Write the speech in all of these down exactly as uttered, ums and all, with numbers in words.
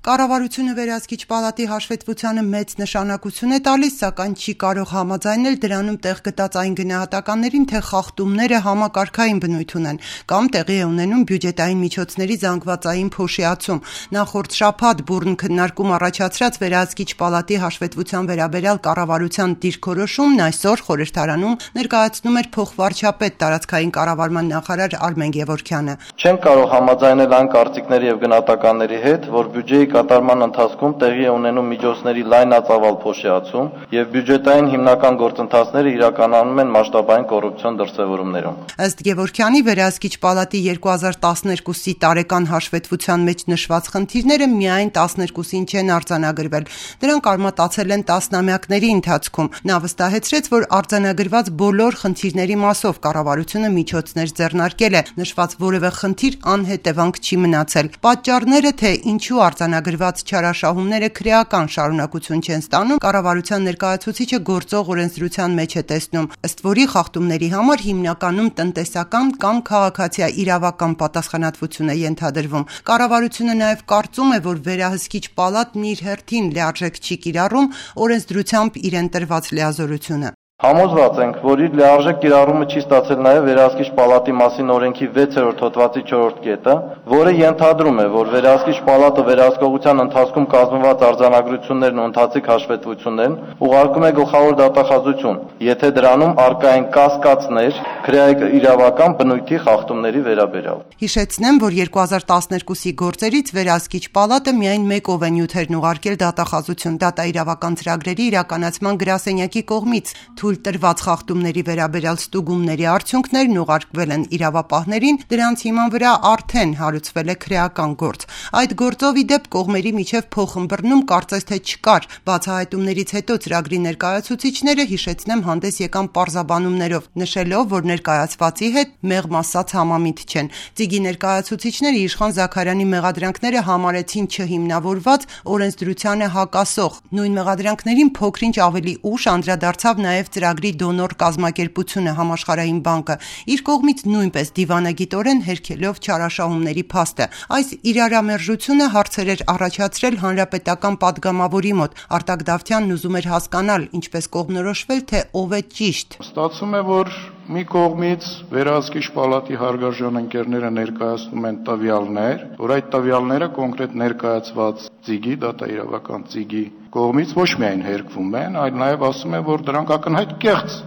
Կառավարությունը վերահսկիչ պալատի հաշվետվությանը մեծ նշանակություն է տալիս, սակայն չի կարող համաձայնել դրանում տեղ գտած այն գնահատականներին, թե խախտումները համակարգային բնույթ ունեն կամ տեղի է ունենում բյուջետային միջոցների զանգվածային փոշիացում։ Նախորդ շաբաթ բուռն քննարկում առաջացրած վերահսկիչ պալատի հաշվետվության վերաբերյալ կառավարության դիրքորոշումն այսօր խորհրդարանում ներկայացնում էր փոխվարչապետ տարածքային կառավարման նախարար Արմեն Գևորգյանը։ Չենք կարող համաձայնել այն կարծիքների եւ գնահատականների հետ, որ բյուջեի կատարման ընթացքում տեղի է ունենում միջոցների լայնածավալ փոշիացում եւ բյուջետային հիմնական գործընթացները իրականանում են մասշտաբային կոռուպցիոն դրսեւորումներում։ Ըստ Գևորգյանի, վերահսկիչ պալատի երկու հազար տասներկուսի տարեկան հաշվետվության մեջ նշված խնդիրները միայն տասներկուսին չեն արձանագրվել, դրանք արմատացել են տասնամյակների ընթացքում։ Նա վստահեցրեց, որ արձանագրված բոլոր խնդիրների մասով կառավարությունը միջոցներ ձեռնարկել է, նշված որևէ խնդիր անհետևանք չի մնացել։ Պատճառները, թե ինչու արձանագրված չարաշահումները քրեական շարունակություն չեն ստանում, կառավարության ներկայացուցիչը գործող օրենսդրության մեջ է տեսնում, ըստ որի խախտումների համար հիմնականում տնտեսական կամ քաղաքացիաիրավական պատասխանատվություն է ենթադրվում։ Կառավարությունը նաև կարծում է, որ վերահսկիչ պալատն իր հերթին լիարժեք չի կիրառում օրենսդրությամբ իրեն տրված լիազորությունը։ Համոզված ենք, որ իր լիարժեք կիրառումը չի ստացել նաև վերահսկիչ պալատի մասին օրենքի վեցերորդ հոդվածի չորրորդ կետը, որը ենթադրում է, որ վերահսկիչ պալատը վերահսկողության ընթացքում կազմված արձանագրություններն ու ընթացիկ հաշվետվություններն ուղարկում է գլխավոր դատախազություն, եթե դրանում առկա են կասկածներ քրեական բնույթի խախտումների վերաբերյալ։ Հիշեցնեմ, որ երկու հազար տասներկուսի գործերից վերահսկիչ պալատը միայն մեկ ով է նյութերն ուղարկել դատախազություն դատաիրավական ծրագրերի իրականացման գրասենյակի կողմից։ Թույլ տրված խախտումների վերաբերյալ ստուգումների արդյունքներն ուղարկվել են իրավապահներին, դրանց հիման վրա արդեն հարուցվել է քրեական գործ։ Այդ գործով ի դեպ կողմերի միջև փոխըմբռնում կարծես թե չկար։ Բացահայտումներից հետո ծրագրի ներկայացուցիչները, հիշեցնեմ, հանդես եկան պարզաբանումներով, նշելով, որ ներկայացվածի հետ մեղմ ասած համամիտ չեն։ Ծիգի ներկայացուցիչները Իշխան Զաքարյանի մեղադրանքները համարեցին չհիմնավորված, օրենսդրությանը հակասող։ Նույն մեղադրանքներին փոքրինչ ավելի ուշ անդրադարձավ նաև ծրագրի դոնոր կազմակերպությունը Համաշխարհային բանկը, իր կողմից նույնպես դիվանագիտորեն հերքելով չարաշահումների փաստը։ Այս իրարամերժությունը հարցեր էր առաջացրել հանրապետական падգամավորի մոտ։ Արտակ Դավթյանն ուզում էր հասկանալ, ինչպես կողմնորոշվել, թե ով է ճիշտ։ Ստացվում է, որ մի կողմից վերահսկիչ պալատի հարգարժան ընկերները ներկայացնում են տվյալներ, որ այդ տվյալները կոնկրետ ներկայացված ծիգի, դատաիրավական ծիգի կողմից ոչ միայն հերկվում են, այլ նաև ասում են, որ դրանք ակնհայտ կեղծ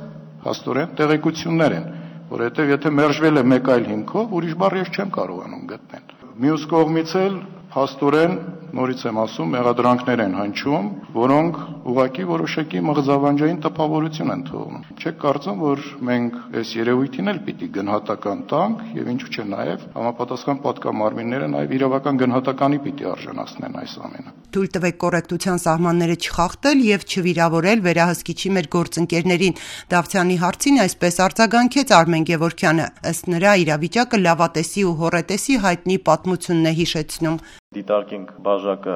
հաստորեն տեղեկություններ են, որովհետև եթե մերժվել է մեկ այլ հիմքով, ուրիշ բառ ես չեմ կարողանում գտնել։ Մյուս կողմից էլ հաստորեն, նորից եմ ասում, մեղադրանքներ են հնչում, որոնք ուղղակի որոշակի մղձավանջային տպավորություն են թողնում։ Չեք կարծում, որ մենք այս երևույթին էլ պիտի գնահատական տանք եւ ինչու՞ չէ նաեւ համապատասխան պատգամարմինները նաեւ իրավական գնահատականի պիտի արժանացնեն այս ամենը։ Թույլ տվեք կոռեկտության սահմանները չխախտել եւ չվիրավորել վերահսկիչի մեր գործընկերներին։ Դավթյանի հարցին այսպես արձագանքեց Արմեն Գևորգյանը, ըստ նրա իրավիճակը լավատեսի ու հոռետեսի հայտնի պատմությունն է հիշեցնում։ Դիտարկենք բաժակը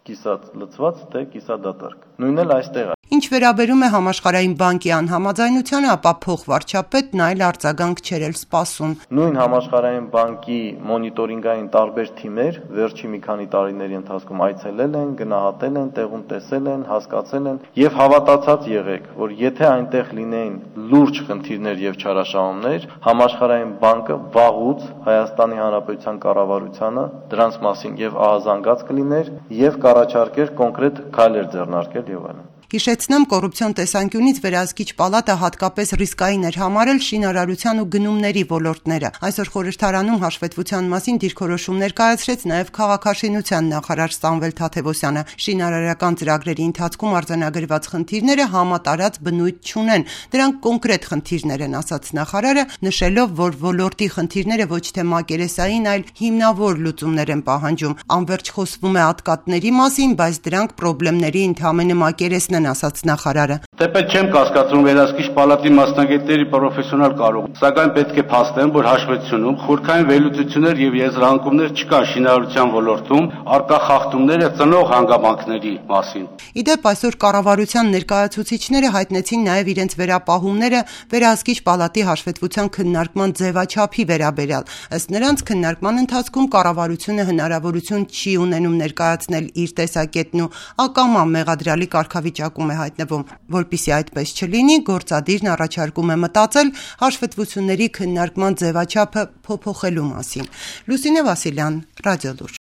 կիսած լցված թե կիսադատարկ։ Նույնն էլ այստեղ է։ Ինչ վերաբերում է Համաշխարհային բանկի անհամաձայնությանը, ապա փոխվարչապետն այլ արձագանք չէր էլ սպասում։ Նույն Համաշխարհային բանկի մոնիտորինգային տարբեր թիմեր վերջի մի քանի տարիների ընթացքում այցելել են, գնահատել են, տեղում տեսել են, հասկացել են եւ հավատացած եղեք, որ եթե այնտեղ լինեին լուրջ խնդիրներ եւ չարաշահումներ, Համաշխարհային բանկը վաղուց Հայաստանի Հանրապետության կառավարությանը դրանց մասին եւ ահազանգած կլիներ եւ կառաջարկեր կոնկրետ քայլեր ձեռնարկել եւ այլն։ Հիշեցնեմ, կոռուպցիոն տեսանկյունից վերահսկիչ պալատը հատկապես ռիսկային էր համարել շինարարության ու գնումների ոլորտները։ Այսօր խորհրդարանում հաշվետվության մասին դիրքորոշում ներկայացրեց նաև քաղաքաշինության նախարար Սամվել Թադևոսյանը։ Շինարարական ծրագրերի ընթացքում արձանագրված խնդիրները համատարած բնույթ չունեն։ Դրանք կոնկրետ խնդիրներ են, ասաց նախարարը, նշելով, որ ոլորտի խնդիրները ոչ թե մակերեսային, այլ հիմնավոր լուծումներ են պահանջում։ Անվերջ խոսվում է ատկատների մասին, բայց դրանք խնդիրների ընդհանրապես մակերեսն են, ասաց նախարարը։ Թեպետ չեմ կասկածում վերահսկիչ պալատի մասնագետների պրոֆեսիոնալ կարողություն, սակայն պետք է փաստեմ, որ հաշվետվությունում խորքային վերլուծություններ եւ եզրահանգումներ չկան շինարարության ոլորտում արկա խախտումները ծնող հանգամանքների մասին։ Իդեպ այսօր կառավարության ներկայացուցիչները հայտնեցին նաև իրենց վերապահումները վերահսկիչ պալատի հաշվետվության քննարկման ձևաչափի վերաբերյալ։ Ըստ նրանց քննարկման ընթացքում կառավարությունը հնարավորություն չի ունենում ներկայացնել իր տեսակետն ու ակամա մեղադրյալի կարգավիճակում է հայտնվում։ Որպեսզի այդպես չլինի, գործադիրն առաջարկում է մտածել հաշվետվությունների քննարկման ձևաչափը փոփոխելու մասին։ Լուսինե Վասիլյան, Ռադիոլուր։